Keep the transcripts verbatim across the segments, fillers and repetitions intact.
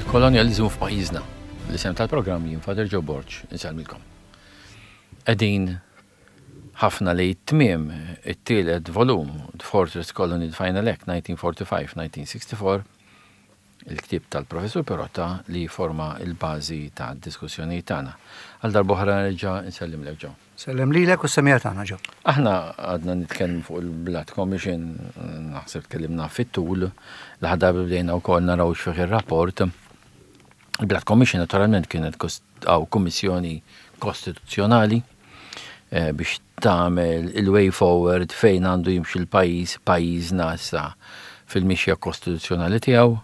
Il-kolonjalizmu f'pajjiżna. L-isem tal-programm jien Father Joe Borg, insellmilkom. Qegħdin ħafna li tmiem it-tielet volum, The Fortress Colony Final Act nineteen forty-five nineteen sixty-four, il-ktib tal-professur Perotta li forma il-bażi ta' diskussjoni tagħna. Għal darb'oħra nerġa' nsellimlek, Joe. Sellem lilek u semija tagħna, Joe. Aħna għadna nitkellmu fuq il-Blood Commission, naħseb tkellimna fit-tul, l-ħadda bdejna wkoll naraw x'fih ir-rapport. Il-Blood Commission naturalment kienet għaw kummissjoni kostituzzjonali eh, biex tagħmel il-way forward fejn għandu jimxi l-pajjiż, pajjiżna issa fil-mixja kostituzzjonali tiegħu.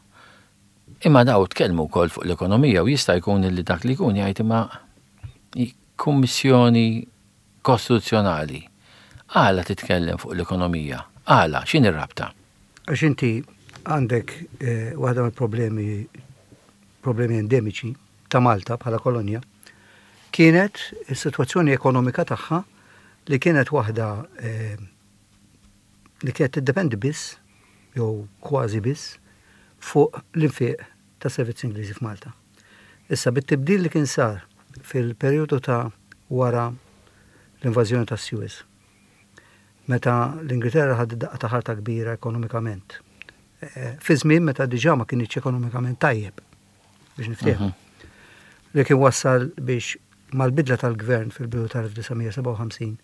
Imma daw tkellmu wkoll fuq l-ekonomija u jista' jkun li dak li jkun jgħid, imma kummissjoni kostituzzjonali għala titkellem fuq l-ekonomija? Għala, x'inhi r-rabta? Għax inti għandek eh, waħda mill-problemi problemi endemiċi ta' Malta bħala kolonja kienet is-sitwazzjoni ekonomika tagħha li kienet waħda eh, li kienet tiddependi biss jew kważi biss fuq l-infiq ta' servizzi Ingliżi f'Malta. Issa, bit-tibdil li kien sar fil-perjodu ta' wara l-invażjoni ta' Suez, meta l-Ingilterra ħadet daqqa ta' ħarta kbira ekonomikament. Eh, fi żmien meta diġà ma kienx ekonomikament tajjeb, biex niftehmu. Li kien wassal biex mal-bidla tal-gvern fil-bidu tal-elf disa' mija sebgħa u ħamsin,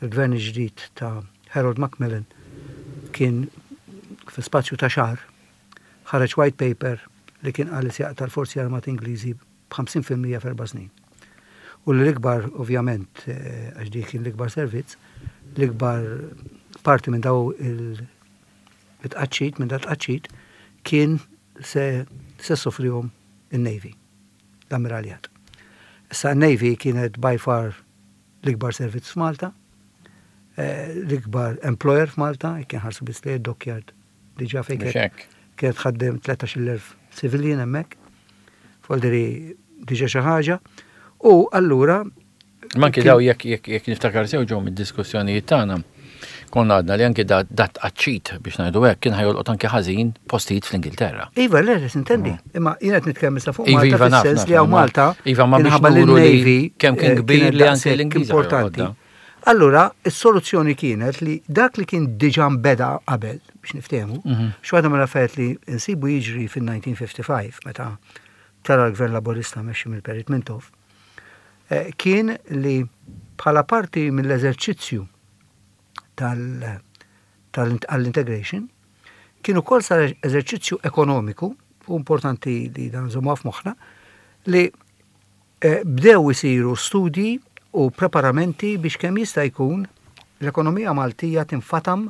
il-gvern ġdid ta' Harold Macmillan kien fi spazju ta' xahar ħareġ white paper li kien qal li se jaqta' l-Forzi Armati Ingliżi b'ħamsin fil-mija f'erba' snin. U l-ikbar, ovvjament, eh, għax dik kien l-ikbar servizz, l-ikbar parti minn daw il-tqaċċit, minn dat-tqaċċit, kien se se ssofrihom il-Navy, l-Ammiraljat. Issa, il-Navy kienet by far l-ikbar servizz f'Malta, eh, l-ikbar employer f'Malta, kien ħarsu biss li dockyard diġà fejn Mhux kienet hekk. kienet tħaddem tlettax-il elf civilian hemmhekk, folderi diġà xi ħaġa. U allura Ma anki kien- daw jekk jekk jekk niftakar sew ġew mid-diskussjonijiet tagħna, konna għadna li anki dat dat tqaċċit, biex ngħidu hekk, kien ħa jolqot anki ħażin postijiet fl-Ingilterra. Iva, le, le, sintendi. Imma jien qed nitkellem issa fuq Iva, Malta iva, naf, fis-sens naf, li hawn imma- Malta Iva, ma biex minħabba li nuru li l-Navy kemm kien eh, kbir kienet li anki daqshekk l-Ingliżi importanti. ħajolqotha. Allura, is-soluzzjoni kienet li dak li kien diġà nbeda qabel, biex niftehmu, Mhm. x'waħda mill-affarijiet li nsibu jiġri fil-elf disa' mija ħamsa u ħamsin meta tela' l-Gvern Laburista mexxi mill-Perit Mintoff, eh, kien li bħala parti mill-eżerċizzju tal- tal-integration kien ukoll sar eżerċizzju ekonomiku, u importanti li dan nżommu f'moħħna, li eh, bdew isiru studji u preparamenti biex kemm jista' jkun l-ekonomija Maltija tinfatam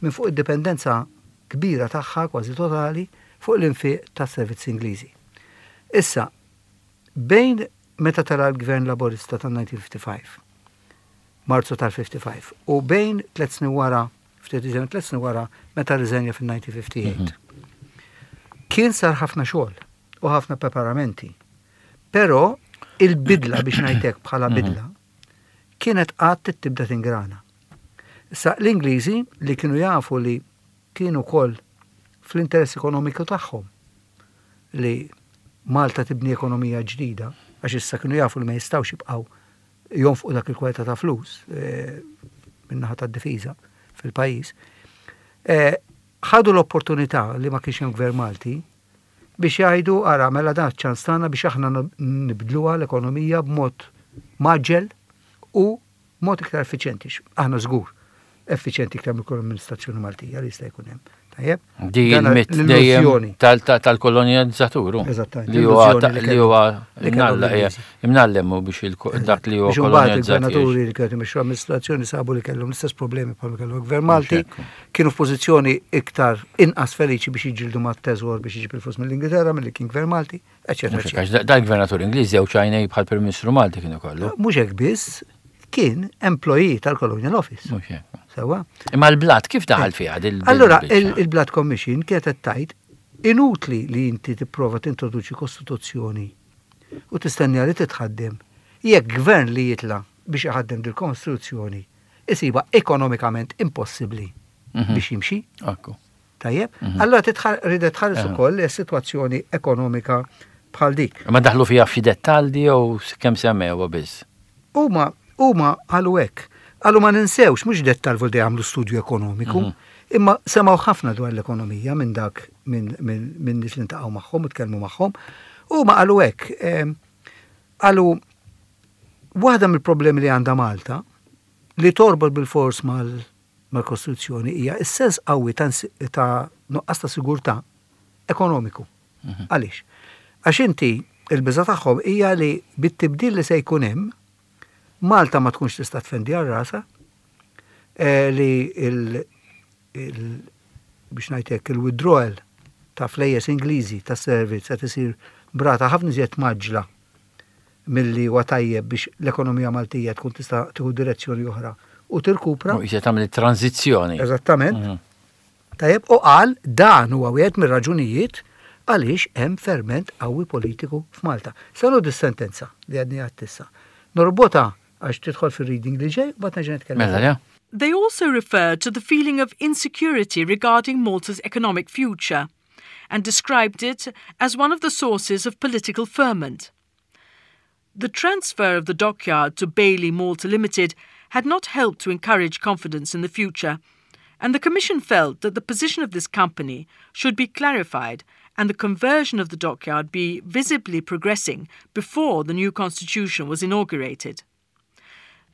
minn fuq id-dipendenza kbira tagħha, kważi totali, fuq l-infiq tas-servizzi Ingliżi. Issa, bejn meta tela' l-Gvern Laborista tal-elf disa' mija ħamsa u ħamsin, Marzu tal-ħamsa u ħamsin, u bejn tliet snin wara, ftit iżjed minn tliet snin wara, meta rriżenja fil-elf disa' mija ħamsa u ħamsin, kien sar ħafna xogħol u ħafna preparamenti. Però il-bidla, biex ngħidlek bħala bidla, kienet għad tibda tingrana. Issa, l-Ingliżi li kienu jafu li kienu kol fl-interess ekonomiku tagħhom li Malta tibni ekonomija ġdida, għax issa kienu jafu li ma jistgħux jibqgħu jonfqu dak il-kwalità ta' flus eh, min-naħa tad-difiża fil-pajjiż. Eh, ħadu l-opportunità li ma kienx hemm gvern Malti biex jgħidu, ara, mela dan ċans tagħna biex aħna nibdluha l-ekonomija b'mod mgħaġġel u mod iktar effiċjenti. Aħna żgur effiċjenti iktar mill amministrazzjoni Maltija li jista' jkun hemm. Tajjeb? Di Dan il-mit dejjem l-illużjoni. tal- tal- tal-kolonizzatur. Eżattament, Li huwa l-illużjoni li li huwa kellhom- li kellhom imnalla- l-Ingliżi. imnallem u biex il- dak li huwa Biex imbagħad kolonizzat. il-gvernaturi li kienu imexxu amministrazzjoni sabu li kellhom l-istess problemi bħal kellhom il-gvern Malti, hekk. kienu f'pożizzjoni iktar inqas feliċi biex jiġġieldu mat-teżor biex jiġib il-flus mill-Ingilterra milli kien gvern Malti, eċetera, Mhux hekk, eċetera. għax da- dal-gvernatur Ingliż jew ċajnej bħal Prim Ministru Malti kienu kollu. Mhux hekk biss, kien employee tal-Colonial Office. Mhux hekk. Sewwa? Imma l-Blood kif daħal fiha dil Allura, dil-biċċa? il- il-Blood Commission kienet qed tgħid inutli li inti tipprova tintroduċi kostituzzjoni u tistenni li titħaddem jekk gvern li jitla biex iħaddem dil-kostituzzjoni isiba ekonomikament impossibbli Mhm. biex jimxi. Ekku. Tajjeb? Allora ridet tħares ukoll is-sitwazzjoni ekonomika bħal dik. Ma daħlu fiha f'xi dettalji jew kemm semmew biss? Huma huma qalu hekk. Qalu ma ninsewx mhux dettal vol jagħmlu studju ekonomiku, imma semgħu ħafna dwar l-ekonomija minn dak minn minn nies li ntaqgħu magħhom u tkellmu magħhom. Huma qalu hekk. Qalu waħda mill-problemi li għandha Malta li torbot bil-fors mal-Kostituzzjoni hija s-sens qawwi ta' nuqqas ta' sigurtà ekonomiku. Għaliex? Għax inti il-biża tagħhom hija li bit-tibdil li se jkun hemm Malta ma tkunx tista' tfendi għal rasha, li il biex ngħidlek il-withdrawal ta' flejjes Ingliżi ta' servizz qed isir b'rata ħafna iżjed mgħaġġla milli huwa tajjeb biex l-ekonomija Maltija tkun tista' tieħu direzzjoni oħra u tirkupra. U jista' tagħmel tranzizzjoni. Eżattament. Tajjeb, u qal dan huwa wieħed mir-raġunijiet għaliex hemm ferment qawwi politiku f'Malta. Sanu dis-sentenza li għadni għattissa. Norbotha għax tidħol fil-reading li ġej, bat nerġa' nitkellem. Mela, ja. They also referred to the feeling of insecurity regarding Malta's economic future and described it as one of the sources of political ferment. The transfer of the dockyard to Bailey Malta Limited had not helped to encourage confidence in the future, and the Commission felt that the position of this company should be clarified and the conversion of the dockyard be visibly progressing before the new constitution was inaugurated.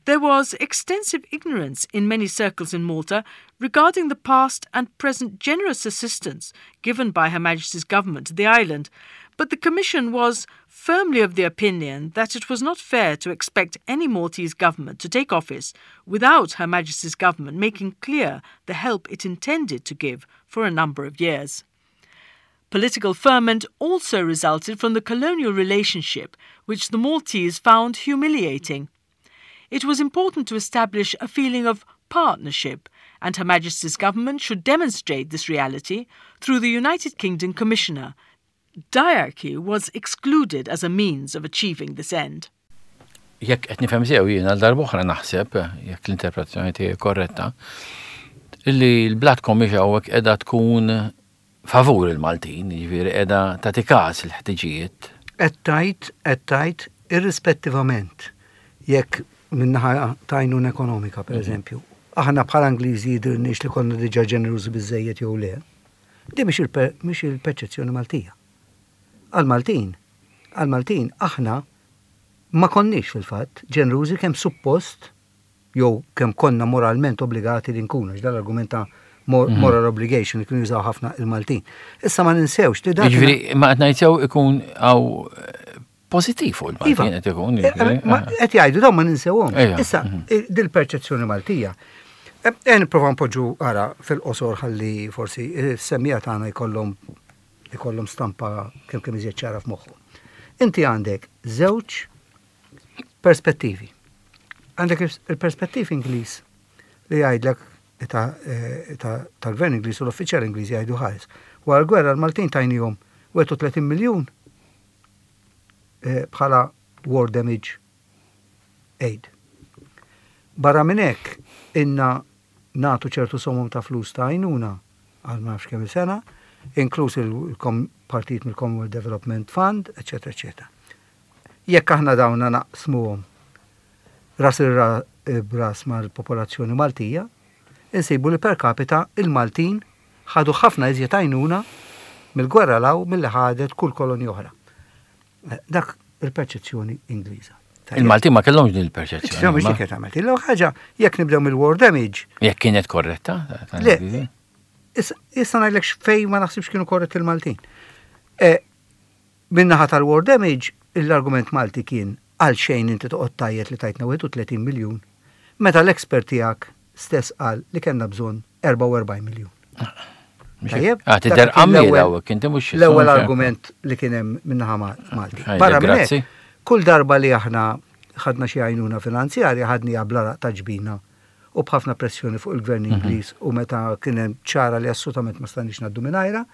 There was extensive ignorance in many circles in Malta regarding the past and present generous assistance given by Her Majesty's government to the island, but the Commission was firmly of the opinion that it was not fair to expect any Maltese government to take office without Her Majesty's government making clear the help it intended to give for a number of years. Political ferment also resulted from the colonial relationship, which the Maltese found humiliating. It was important to establish a feeling of partnership, and Her Majesty's government should demonstrate this reality through the United Kingdom Commissioner. Diarchy was excluded as a means of achieving this end. Jekk qed nifhem sew jien għal darb'oħra naħseb, jekk l-interpretazzjoni tiegħi korretta, illi l-Blood Commission hawnhekk qiegħda tkun favur il-Maltin, jiġifieri qiegħda tagħti każ il-ħtiġijiet. Qed tgħid, qed tgħid irrispettivament jekk min-naħa ta' għajnuna ekonomika, per eżempju. Aħna bħala Ingliżi jidhirniex li konna diġà ġenerużi biżejjed jew le. Di mhix il-perċezzjoni Maltija. Għal-Maltin, għal-Maltin aħna ma konniex fil-fatt ġenerużi kemm suppost jew kemm konna moralment obbligati li nkunu, għax dal-argument ta' moral obligation li kienu jużaw ħafna il-Maltin. Issa ma ninsewx li dak. Jiġifieri ma qed ngħid sew ikun hawn pożittiv fuq il-Maltin qed ikun. Qed jgħidu dawn ma ninsewhom. Issa dil-perċezzjoni Maltija. E nipprova npoġġu ara fil-qosor ħalli forsi s-semmiegħa tagħna jkollhom ikollhom stampa kemm kemm iżjed ċara f'moħħu. Inti għandek żewġ perspettivi. Għandek il-perspettiv Ingliż li jgħidlek tal-gvern Ingliż u l-uffiċjal Ingliż jgħidu ħares. Wara l-gwerra l-Maltin tajnihom wieħed u tletin miljun bħala war damage aid. Barra minn hekk inna nagħtu ċertu somom ta' flus ta' għajnuna għal ma nafx kemm sena, inkluż il-partit mill-Commonwealth Development Fund, eċetera, eċetera. Jekk aħna dawna naqsmuhom ras il-ras mal-popolazzjoni Maltija, insibu li per capita il-Maltin ħadu ħafna iżjed għajnuna mill-gwerra 'l hawn milli ħadet kull kolonja oħra. Dak il-perċezzjoni Ingliża. Il-Maltin ma kellhomx din il-perċezzjoni. Mhux dik qed tagħmel. L ħaġa jekk nibdew mill-war damage. Jekk kienet korretta? Le, issa ngħidlek fejn ma naħsibx kienu korretti il-Maltin. Min-naħa tal-war damage, l-argument Malti kien għal xejn inti toqgħod tgħajjet li tajtna wieħed u tletin miljun. Meta l-expert tiegħek stess qal li kellna bżonn erbgħa u erbgħin miljun. Tajjeb? Ah, tidher għammiela u inti mhux L-ewwel argument li kien hemm min-naħa Malti. Barra minn hekk, kull darba li aħna ħadna xi għajnuna finanzjarja ħadniha bl-għaraq ta' ġbinna u b'ħafna pressjoni fuq il-gvern mhm. Ingliż u meta kien hemm ċara li assolutament ma stajniex ngħaddu mingħajra,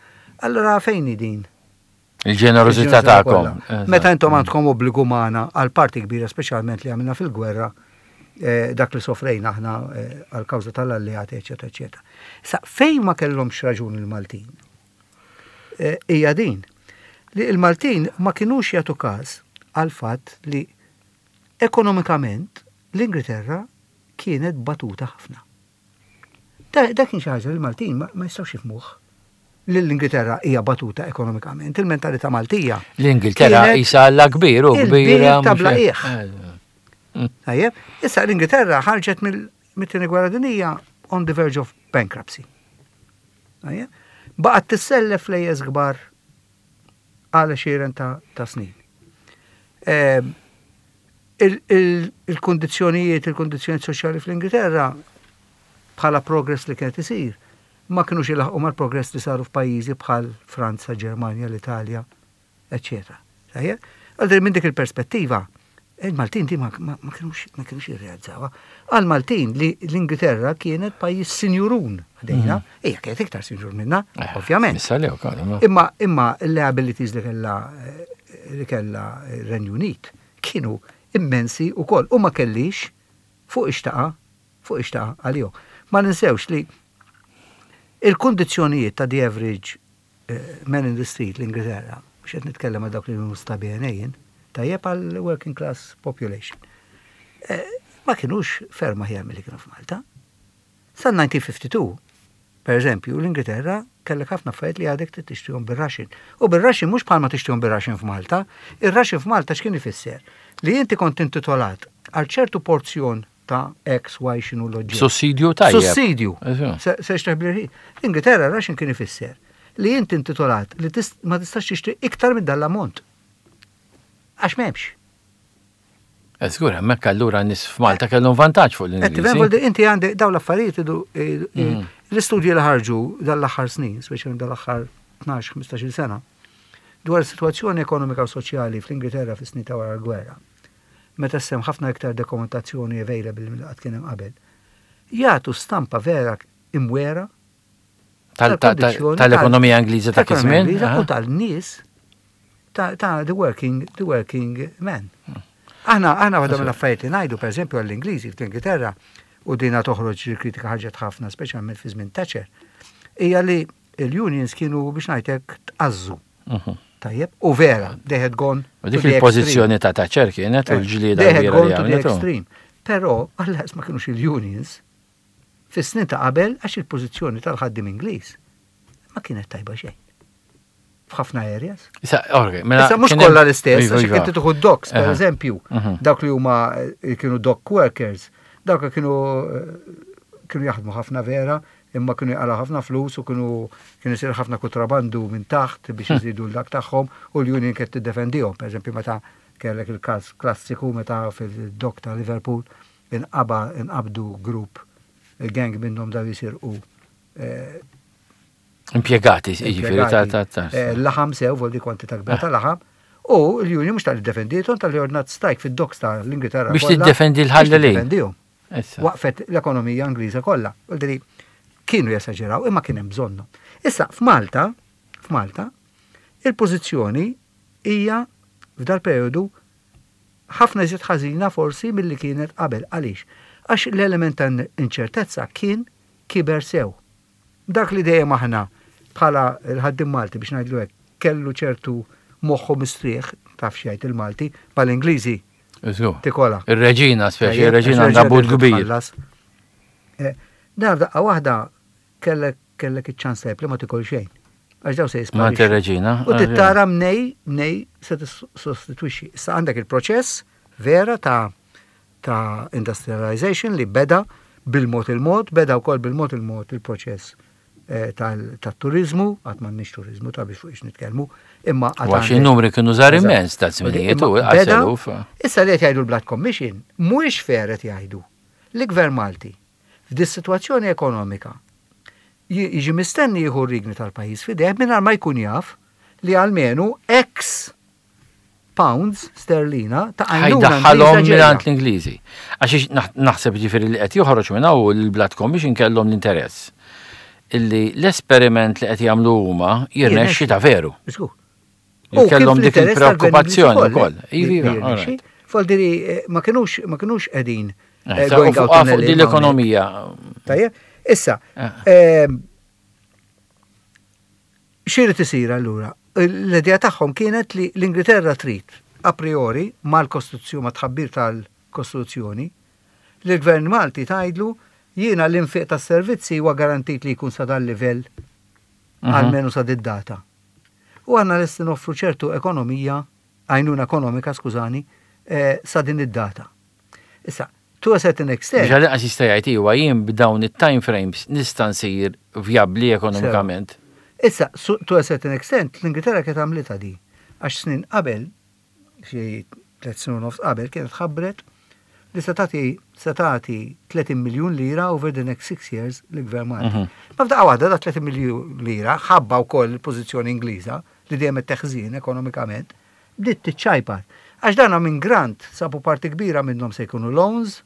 allura fejn din? Il-ġenerożità tagħkom. Meta intom għandkom obbligu magħna għal parti kbira, speċjalment li għamilna fil-gwerra. eh, dak li sofrejna aħna eh, għal-kawża tal-alleati, eċetera, eċetera. Sa fejn ma kellhomx raġun il-Maltin? Eh, hija din li il-Maltin ma kinux jagħtu każ għal fatt li ekonomikament l-Ingilterra kienet batuta ħafna. Da, da kien xi ħaġa li l-Maltin ma, ma jistgħux jifhmuh li l-Ingilterra hija batuta ekonomikament, il-mentalità Maltija. L-Ingilterra kienet isa alla kbir u il-bir kbira. ta' mhux bla hekk. qiegħ. Tajjeb, issa l-Ingilterra ħarġet mill-tieni gwerra dinija on the verge of bankruptcy. Tajjeb, baqgħet tissellef flejjes kbar għal għexieren ta', ta' snin. Ehm, il- il- Il-kondizjonijiet, il-kondizjonijiet soċjali fl-Ingilterra bħala progress li kienet isir, ma kienux ilaħqu mal-progress li saru f'pajjiżi bħal Franza, Ġermanja, l-Italja, eccetera. Tajjeb? Għal minn dik il-perspettiva, il-Maltin di ma, ma, ma kienux ma kienux jirrealizzawha. Għal-Maltin li l-Ingilterra kienet pajjiż sinjurun ħdejna, hija kienet iktar sinjur minna, Eh, ovvjament. Issa li wkoll, imma- Imma imma l-liabilities li kella eh, li kella Renju Unit kienu immensi u koll u ma kellix fuq xiex taqa' fuq xiex taqa' għalihom. Ma ninsewx li il-kondizjonijiet ta' the average eh, man in the street l-Ingilterra, mhux qed nitkellem għal dawk li huma stabienejn, tajjeb għal working class population. Eh, Ma kienux ferm aħjar milli kienu f'Malta. Sa elf disa' mija u tnejn u ħamsin, per eżempju, l-Ingilterra kellek ħafna affarijiet li għadek trid tixtrihom bir-ration. U bir-ration mhux bħalma tixtrihom bir-ration f'Malta, ir-ration f'Malta x'kien ifisser? Li inti kont intitolat għal ċertu porzjon ta' X, Y x'inhu l-oġġett. Sussidju tajjeb. Sussidju. Eżatt. Se se xtraħ bil L-Ingilterra ration kien ifisser li inti intitolat li tis- ma tistax tixtri iktar minn dal-ammont. Għax m'hemmx. Eh, Żgur, hemmhekk allura nies f'Malta kellhom vantaġġ fuq Qed tifhem, l-Ingliżi. Voldi, inti għandek dawn l-affarijiet idu- idu- Mm. l-istudji li ħarġu dal-aħħar snin, speċjalment dal-aħħar tnax ħmistax-il sena, dwar is-sitwazzjoni ekonomika u soċjali fl-Ingilterra fis-snin ta' wara l-gwerra. Meta hemm ħafna iktar dokumentazzjoni available mill qatt kien hemm qabel. Jagħtu stampa vera imwera Tal- tal- tal-kondizzjoni Tal-ekonomija Ingliża ta' tal-ekonomija kizmin. Ingliża u tal-nies ta' ta' the working, the working man. Aħna, aħna waħda mill-affarijiet li ngħidu, per eżempju, għall-Ingliżi fl-Ingilterra, u dina toħroġ il-kritika ħarġet ħafna, speċjalment fi żmien Thatcher, hija li l-unions kienu biex ngħidlek tqażżu. Tajjeb, u vera, they had gone U dik il-pożizzjoni ta' Thatcher kienet u l-ġlieda They had kbira gone li to the għamlet. extreme. Però, għallas ma kienux il-unions, fis-snin ta' qabel għax il-pożizzjoni tal-ħaddim Ingliż ma kienet tajba xejn. F'ħafna areas. Issa, ok, mela. Issa mhux kien hemm- kollha l-istess, Iva, għax iva. inti tieħu docks, per Aha. eżempju, Mhm. dawk li huma eh, kienu dock workers, dawk li kienu eh, kienu jaħdmu ħafna vera, imma kienu jaqala ħafna flus u kienu kienu jsir ħafna kontrabandu minn taħt biex iżidu l-dak tagħhom u l-union kienet tiddefendihom. Per eżempju, meta kellek il-każ klassiku meta fil-dock ta' Liverpool inqaba inqabdu grupp gang minnhom daw jisirqu eh, Impjegati, jiġifieri ta' ta' ta' Eh, laħam sew, voldi kwantità kbira ta' laħam, u l-union mhux tal defendietom tal-li ordnat strike fid-docks ta' l-Ingilterra. Biex kollha tiddefendi l-ħallelin. biex tiddefendihom. Issa. Waqfet l-ekonomija Ingliża kollha. Voldi kienu jesaġeraw, imma kien hemm bżonnu. Issa f'Malta, f'Malta, il-pożizzjoni hija f'dal periodu ħafna iżjed ħażina forsi milli kienet qabel. Għaliex? Għax l-element ta' inċertezza kien kiber sew. Dak li dejjem aħna bħala l-ħaddim Malti biex ngħidlu hekk kellu ċertu moħħu mistrieħ, taf x'jgħid il-Malti, mal-Ingliżi Żgur. tikola. Ir-reġina, speċi, Tajjeb, ir-reġina għax għandha but ir-reġina kbir. tħallas. Eh, Dar daqqa waħda kellek kellek iċ-ċans tajb li ma tikol xejn. Għax daw se Ma jisparixxu. ir-reġina. U tittara mnej, mnej se tissostitwixxi. Issa għandek il-proċess vera ta' ta' industrialization li beda bil-mod il-mod, beda wkoll bil-mod il-mod il-proċess eh, tal-turizmu, għad m'għandniex turizmu ta' biex fuq ix nitkellmu, imma għad Għax għandek- il-numri kienu żgħar Eżatt. immens ta' żminijiet u Imma beda- għaseluf. Issa li qed jgħidu l-Blood Commission, mhuwiex fair qed jgħidu li gvern Malti f'dis sitwazzjoni ekonomika ji- jiġi mistenni jieħu r-riedni tal-pajjiż f'idejh mingħajr ma jkun jaf li almenu X pounds sterlina ta' għajnuna Ħajdaħħalhom Ingliża ġejja. mingħand l-Ingliżi. Għax naħ- naħseb ġifieri li qed joħroġ minn hawn il-Blood Commission kellhom l-interess illi l-esperiment li qed jagħmlu huma jirnexxi ta' veru. Żgur. Li kellhom dik il-preokkupazzjoni wkoll. Iva, Iva, all right. Foldiri, ma kienux ma kienux qegħdin Eh, going out on a Fuq din l-ekonomija. Tajjeb, issa, eh. x'irid isir allura? L-idea tagħhom kienet li l-Ingilterra trid a priori mal-Kostituzzjoni, ma tħabbir tal-Kostituzzjoni, li l-Gvern Malti tgħidlu jiena l-infiq tas-servizzi huwa garantit li jkun sa dal livell mhm. almenu sa did-data. U għandna lesti noffru ċertu ekonomija, għajnuna ekonomika, skużani, eh, sa din id-data. Issa, to a certain extent. Biex għalli jista' jgħid iwa jien b'dawn it-time frames nista' nsir vjabbli ekonomikament. Issa, to a certain extent, l-Ingilterra kienet għamlitha di. Għax snin qabel, xi tliet snin nofs qabel, kienet ħabbret li se tagħti se tagħti tletin miljun lira over the next six years l-Gvern Malti. Mhm. Ma f'daqqa waħda da tletin miljun lira ħabba wkoll il-pożizzjoni Ingliża li dejjem qed teħżin ekonomikament, bdiet tiċċajpar. Għax dana minn grant sabu parti kbira minnhom se jkunu loans,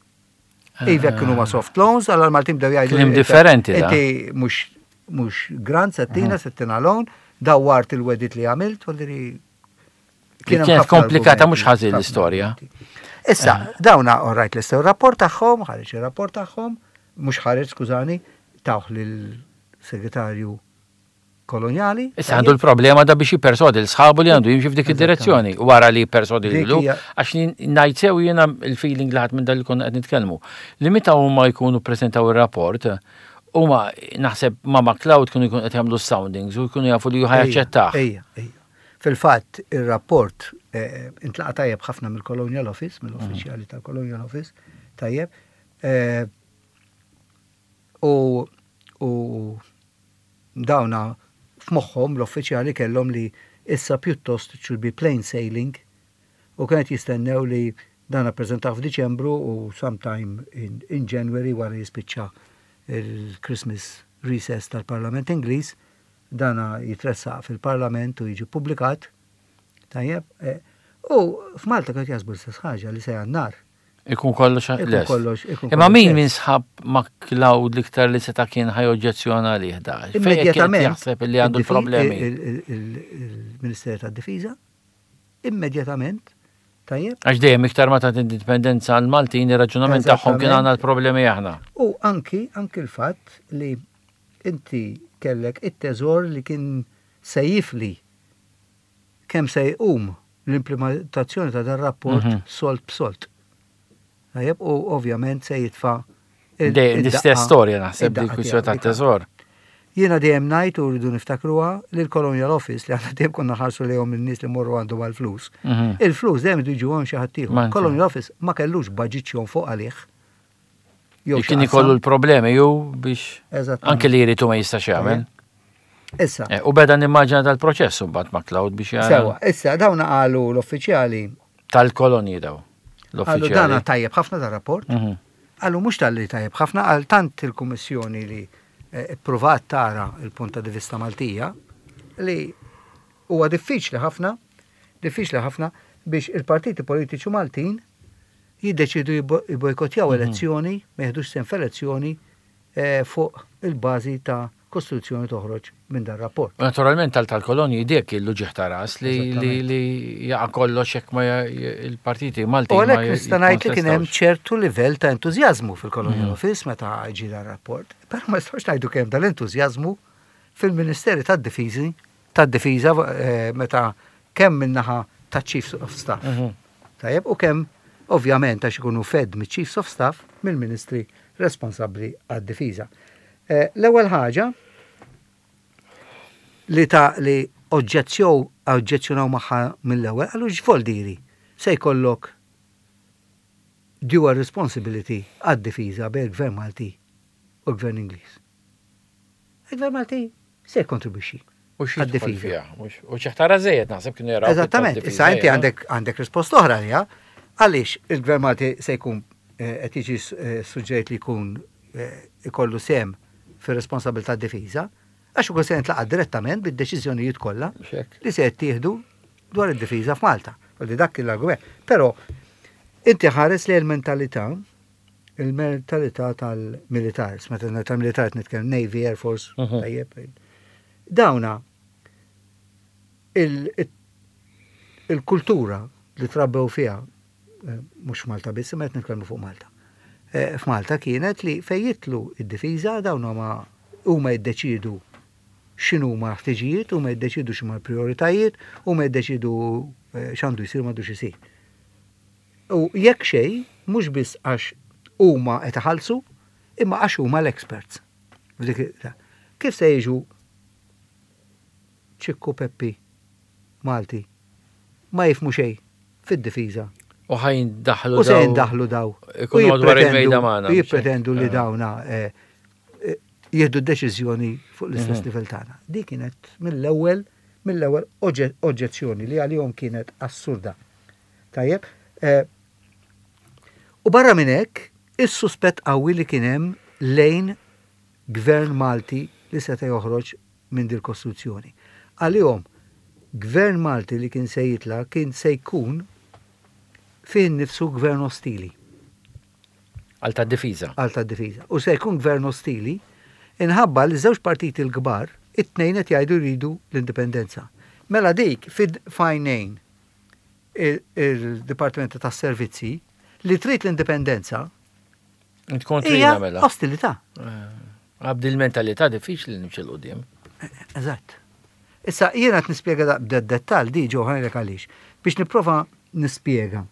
iva kienu ma soft loans, għal Maltin bdew jgħidu. Kliem differenti. Inti mhux mhux grant se ttina, se ttina loan, dawwart il-wegħdiet li għamilt, u li Kienet komplikata mhux ħażin l-istorja. Issa, dawna alright l rapport tagħhom, ħareġ ir-rapport tagħhom, mhux ħareġ, skużani, tawh lill-segretarju koloniali. Issa għandu l-problema da biex jipperswadi l-sħabu li għandu jimxi f'dik id-direzzjoni. Wara li jipperswadi l għax ngħid sew jiena il-feeling li ħadt minn dal li konna qed nitkellmu. Li meta huma jkunu prezentaw ir-rapport, huma naħseb ma McLeod kienu jkunu qed jagħmlu soundings u jkunu jafu li ħa jaċċettah. Ejja, ejja. Fil-fatt, ir-rapport eh, intlaqa tajjeb ħafna mill-Colonial Office, mill-uffiċjali tal-Colonial Office, tajjeb. Eh, u u dawna f'moħħhom l-uffiċjali kellhom li issa pjuttost it should be plain sailing u kienet jistennew li dan appreżentaw f'Diċembru u sometime in, in January, wara jispiċċa il-Christmas recess tal-Parlament Ingliż, dana jitressaq fil-Parlament u jiġi publikat. Tajjeb, eh, u f'Malta kienet jaħsbu l-istess ħaġa li se Jannar. Ikun kollox Ikun kollox, ikun Imma kollox min lest. minn sħab McLeod l-iktar li seta' kien ħa joġġezzjona għalih da? Fejn kien Immedjatament. jaħseb li għandu id-difi- l-problemi? il- il- il- Il-Ministeru tad-Difiża, immedjatament, tajjeb, Għax dejjem iktar ma ta' indipendenza għal Maltin, ir-raġunament tagħhom kien Eżattament. għandna l-problemi aħna. U anki, anki l-fatt li inti kellek it-teżor li kien se jifli kemm se jqum l-implementazzjoni ta' dan rapport Mhm. sold b'sold. Tajjeb, u ovvjament se jitfa' il- Dejjem id-daqqa- l-istess storja naħseb id-daqqa dik kwistjoni tiegħu, dik tat-teżor. Jiena dejjem ngħid u rridu niftakruha li l-Colonial Office li aħna dejjem konna ħarsu lejhom in-nies li morru għandhom għall-flus. Mhm. Il-flus dejjem jiġu għand xi ħadd ieħor. Ma Colonial Office ma kellux budget fuq għalih. Jew xi Kien qasam. ikollu l-problemi ju biex Eżattament. anke li jridu ma jistax jagħmel. Issa, Eh, U beda nimmaġina tal-proċess mbagħad McLeod biex jara sewa, issa dawna qalu l-uffiċjali, tal-kolonji daw. qalu dana L-uffiċjali. tajjeb ħafna da rapport, Mhm. qalu mhux talli tajjeb ħafna, għal tant il-Kummissjoni li eh, ippruvat tara il-punta di vista Maltija li huwa diffiċli ħafna, diffiċli ħafna biex il-partiti politiċi Maltin jiddeċidu jibbo- jibojkotjaw Mhm. elezzjoni, ma jeħdux sehem f'elezzjoni eh, fuq il-bażi ta' kostituzzjoni toħroġ minn dan rapport. U naturalment tal tal-kolonji dik il-luġieħ ta' ras li li li jaqa' kollox jekk ma ja- il-partiti Malti U ma għalhekk nista' ngħid li kien hemm jikkontestawx. ċertu livell ta' entużjażmu fil-Colonial Mhm. Office meta ġie dan rapport. Però ma nistgħux ngħidu kemm dal-entużjażmu fil-Ministeri tad-Difiżi, tad-Difiża eh, meta kemm min-naħa ta' Chiefs of Staff. Mhm. Tajjeb, u kemm ovvjament għax ikunu fed mit-Chiefs of Staff mill-Ministri responsabbli għad-difiża. Eh, L-ewwel ħaġa li ta' li oġġezzjow oġġezzjonaw magħha mill-ewwel, qalu x'voldiri se jkollok dual responsibility għad-difiża bejn il-Gvern Malti u l-Gvern Ingliż. Il-Gvern Malti se jkontribwixxi U xi jidħol għad-difiża. fiha, mhux- U xi ħtara żejjed naħseb kienu jaraw. Eżattament, issa inti għandek għandek risposta oħra għalija, għaliex il-Gvern Malti se jkun eh, qed jiġi eh, suġġert li jkun eh, ikollu sehem fir-responsabilità d-difiża, għax ukoll se jintlaqa' direttament bid-deċiżjonijiet kollha li se jittieħdu dwar id-difiża f'Malta. U li dak l-argument. Però inti ħares li l-mentalità il-mentalità tal-militar, meta tal-militar qed nitkellem Navy, Air Force, Mhm. tajjeb. Dawna il- il-kultura li trabbew fiha, eh, mhux Malta biss, imma qed nitkellmu fuq Malta. eh, f'Malta kienet li fejn jidħlu id-difiża, dawn huma huma jiddeċidu x'inhuma ħtiġijiet, huma jiddeċidu x'huma l-prioritajiet, huma jiddeċidu eh, x'għandu jsir, m'għandux isir. U jekk xejn, mhux biss għax huma qed iħallsu, imma għax huma l-experts. F'dik- Kif se jiġu Ċikku Peppi Malti ma jifhmu xejn fid-difiża? U ħa jindaħlu. U se jindaħlu daw. Ikunu U madwar jippretendu- il-mejda magħna. U jippretendu li Eh. dawna eh, eh, jieħdu deċiżjoni fuq l-istess Mhm. livell tagħna. Di kienet mill-ewwel mill-ewwel oġġe- oġġezzjoni li għalihom kienet assurda. Tajjeb, eh, u barra minn hekk, is-suspett qawwi li kien hemm lejn gvern Malti li seta' joħroġ minn dil kostruzzjoni. Għalihom, gvern Malti li kien se jitla' kien se jkun fih nifsu gvern ostili Għal ta' difiża. Għal ta' difiża. U se jkun gvern ostili inħabba li żewġ partiti l-kbar, it-tnejn qed jgħidu jridu l-indipendenza. Mela dik fid fajnejn il-Dipartimento tas Servizzi li trid l-indipendenza Int kontrina hija mela. ostilità. Għax bil-mentalità diffiċli nimxi 'l quddiem. Eżatt. Issa jiena qed nispjega da b'dettal di ġo ħajlek għaliex biex nipprova nispjega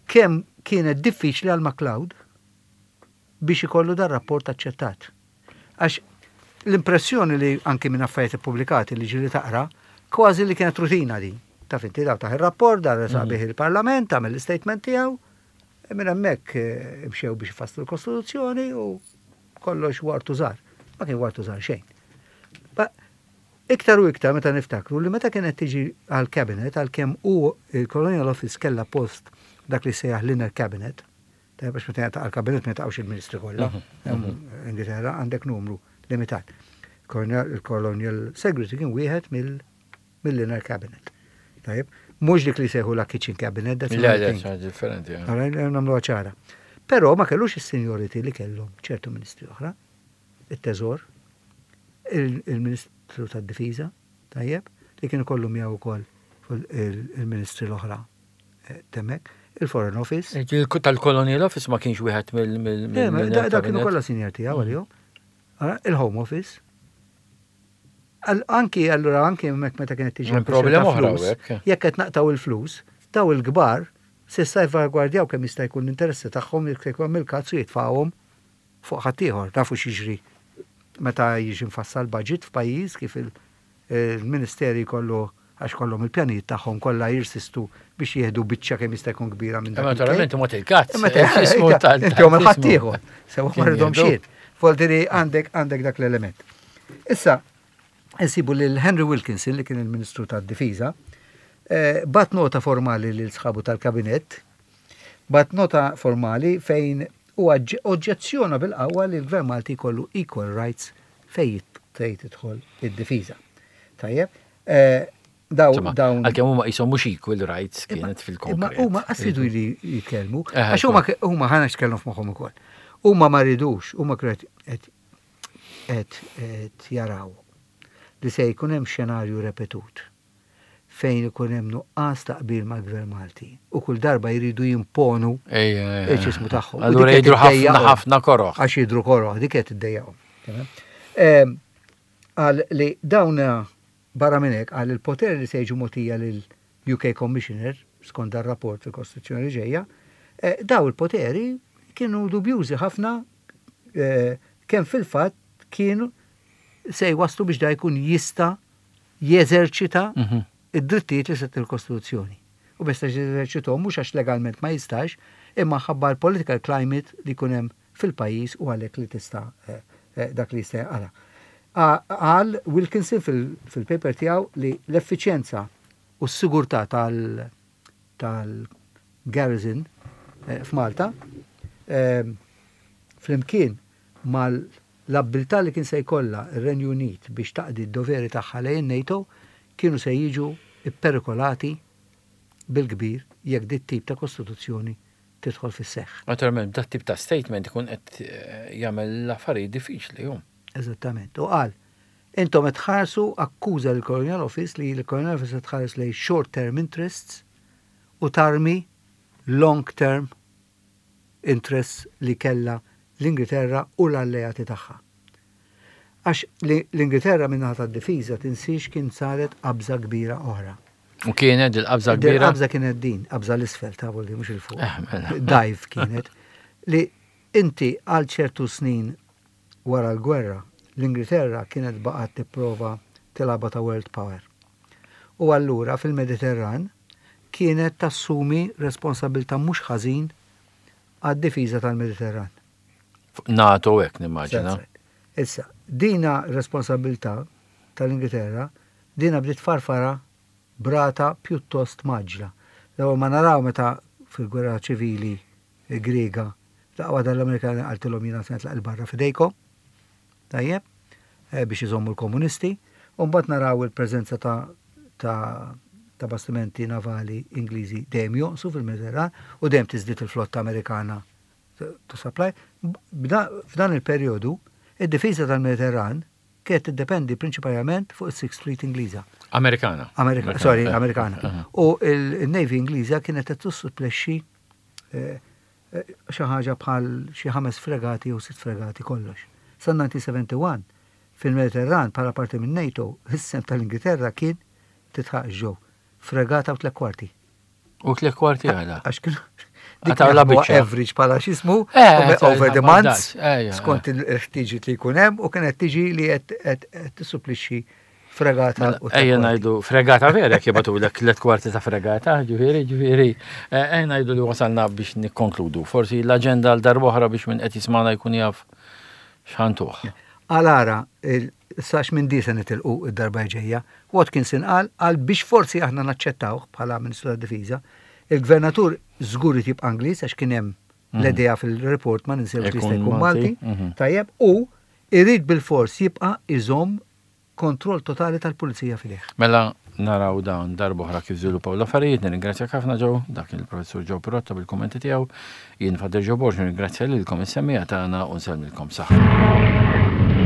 kemm kienet diffiċli għal MacLeod biex ikollu dar rapport aċċettat. Għax l-impressjoni li anki minn affarijiet ippubblikati li ġili taqra, kważi li kienet rutina di. Taf inti, daw taħ il-rapport, dar bih il-parlament, għamel l-statement tiegħu, e minn hemmhekk eh, imxew biex ifasslu l-Kostituzzjoni u kollox wartu żgħar. Ma kien wartu żgħar xejn. Ba, iktar u iktar meta niftakru li meta kienet tiġi għal cabinet, għal kemm u il-Colonial Office kella post dak li sejjaħ l-inner cabinet, ta' biex meta għal cabinet ma taqgħux il-ministri kollha, Hemm Ingilterra għandek numru limitat. Colonial- Il-Colonial Secretary kien wieħed mill- mill-inner cabinet. Tajjeb, mhux dik li sejħu la kitchen cabinet, that's Le, another le, thing. ċa differenti. eh. Allora, nagħmlu ċara. Però ma kellux is-seniority li kellhom ċertu ministri oħra, it-Teżor, il- il-Ministru tad-Difiża, tajjeb, li kienu kollu miegħu wkoll fuq il- il-ministri l-oħra eh, temmek, il-Foreign Office. Il- Tal-Colonial Office ma kienx wieħed mill- mill- Le, ma mill- Da da kienu cabinet. kollha senior tiegħu għalihom. Allora, il-Home Office. Al- Anki allura anki hemmhekk meta kienet tiġi Hemm problema kwestjoni ta' oħra flus, hawnhekk. jekk qed naqtaw il-flus, daw il-kbar se salvagwardjaw kemm jista' jkun l-interessi tagħhom, jekk jkun il-kazzu jitfgħuhom fuq ħaddieħor. Nafu x'jiġri meta jiġi mfassal budget f'pajjiż, kif il- il-ministeri kollu għax kollhom il-pjanijiet tagħhom kollha jirsistu biex jieħdu biċċa kemm jista' jkun kbira minn dak Imma il-kejk. naturalment ma til-kazz. Imma te- Ismu tal- Inti għom tal- il-ħaddieħor. Sewa Kien ma rridhom jieħdu. xejn. Voldiri għandek għandek dak l-element. Issa, insibu lil Henry Wilkinson, li kien il-Ministru tad-Difiża, eh, bat nota formali lil sħabu tal-kabinett, bat nota formali fejn u oġġezzjona bil-qawwa li l-Gvern Malti jkollu equal rights fejn fejn tidħol id-difiża. Tajjeb, eh, daw Insomma, dawn għalkemm huma qishom mhux equal rights kienet Imma fil-konkret. huma qassidu li jitkellmu, Eh, għax huma huma ħana x'kellhom f'moħħhom ukoll. Huma ma ridux, huma kienu qed qed qed jaraw li se jkun hemm xenarju repetut fejn ikun hemm nuqqas ta' qbil mal-Gvern Malti u kull darba jridu jimponu Ejja, ejja. il-ċismu tagħhom. U Allura dik qed jidru ħafna iddejjaqhom. ħafna koroħ. Għax jidru koroħ, dik qed iddejjaqhom. Tamam? Ehm, Għal li dawn barra minn hekk, għal il-poter li se jiġu mogħtija lil U K Commissioner skont dar rapport fil-Kostituzzjoni ġejja, eh, daw il-poteri kienu dubjużi ħafna, eh, kemm fil-fatt kienu se jwaslu biex da jkun jista' jeżerċita Mhm. id-drittijiet li set il-Kostituzzjoni. U biex jeżerċitahom mhux għax legalment ma jistax, imma ħabba l-political climate li jkun hemm fil-pajjiż u għalhekk li tista' eh, eh, dak li jista' jaqala. Għal Wilkinson fil- fil-paper tiegħu li l-effiċjenza u s-sigurtà tal- tal-garrison eh, f'Malta eh, flimkien mal-abbiltà li kien se jkollha ir-Renju Unit biex taqdi d-doveri tagħha lejn NATO kienu se jiġu ipperikolati bil-kbir jekk dit tip ta' kostituzzjoni tidħol fis-seħħ. Naturalment, dat tip ta' statement ikun qed eh, jagħmel l-affarijiet diffiċli jum. Eżattament. U qal, intom qed tħarsu, akkuża l-Colonial Office li l-Colonial Office qed tħares lejn short term interests u tarmi long term interests li kella l-Ingilterra u l-alleati tagħha. Għax l-Ingilterra min-naħa tad-difiża, tinsiex, kien saret qabża kbira oħra. U kienet il-qabża kbira? Qabża kienet din, qabża 'l isfel ta' li mhux 'il fuq. Eh, mela. Dive kienet. Li inti għal ċertu snin wara l-gwerra, l-Ingilterra kienet baqgħet tipprova tilgħabha ta' world power. U allura fil-Mediterran kienet tassumi responsabilta mhux ħażin għad-difiża tal-Mediterran. NATO hekk nimmaġina. Issa, dina responsabilità tal-Ingilterra, dina bdiet farfara b'rata pjuttost mgħaġġla. L-ewwel ma naraw meta fil-gwerra ċivili Griega, daqwa dal-Amerikani qaltilhom, "Jiena se nitlaq 'il barra, f'idejkom." Tajjeb, eh, biex iżommu l-komunisti, u mbagħad naraw il-preżenza ta' ta' ta' bastimenti navali Ingliżi dejjem jonqsu fil-Mediterran u dejjem tiżdied il-flotta Amerikana to supply. F'dan il-perjodu, id-difiża tal-Mediterran kienet tiddependi prinċipalment fuq is-Sixth Fleet Ingliża. Amerikana. Amerika, sorry, Amerikana. U il-Navy Ingliża kienet qed tissupplexxi eh, eh, xi ħaġa bħal xi ħames fregati u sitt fregati kollox. Sa elf disa' mija u wieħed u sebgħin fil-Mediterran bħala parti minn NATO, is-sehem tal-Ingilterra kien, titħaq ġew, fregata u tliet kwarti. U tliet kwarti għala? Għax kienu dik la average bħala x'jismu eh, over the months skont il-ħtiġi li jkun hemm u kienet tiġi li qed tissupplixxi fregata. Mela, ejja ngħidu fregata vera jibagħtu l tliet kwarti ta' fregata, ġifieri, ġifieri. Eh, ejja ngħidu li wasalna biex nikkonkludu. Forsi l-aġenda għal darb'oħra biex minn qed jismana jkun jaf x'ħantuh. Għalara, sax minn di se nitilqu id-darba ġejja, Watkinson qal għal biex forsi aħna naċċettawh bħala Ministru tad-Difiża, il-gvernatur żgur jibqa' Ingliż għax kien hemm mhm. l-idea fil-report, ma ninsewx, li jista' jkun Malti, mhm. tajjeb, u irid bil-fors jibqa' iżomm kontroll totali tal-pulizija f'idejh. Mela naraw dawn darb'oħra kif żviluppaw l-affarijiet. Nirringrazzjak ħafna, Joe, dak il-professur Joe Pirotta bil-kummenti tiegħu. Jien Father Joe Borg nirringrazzja lilkom is-semmiegħa tagħna u nsellmilkom saħħa.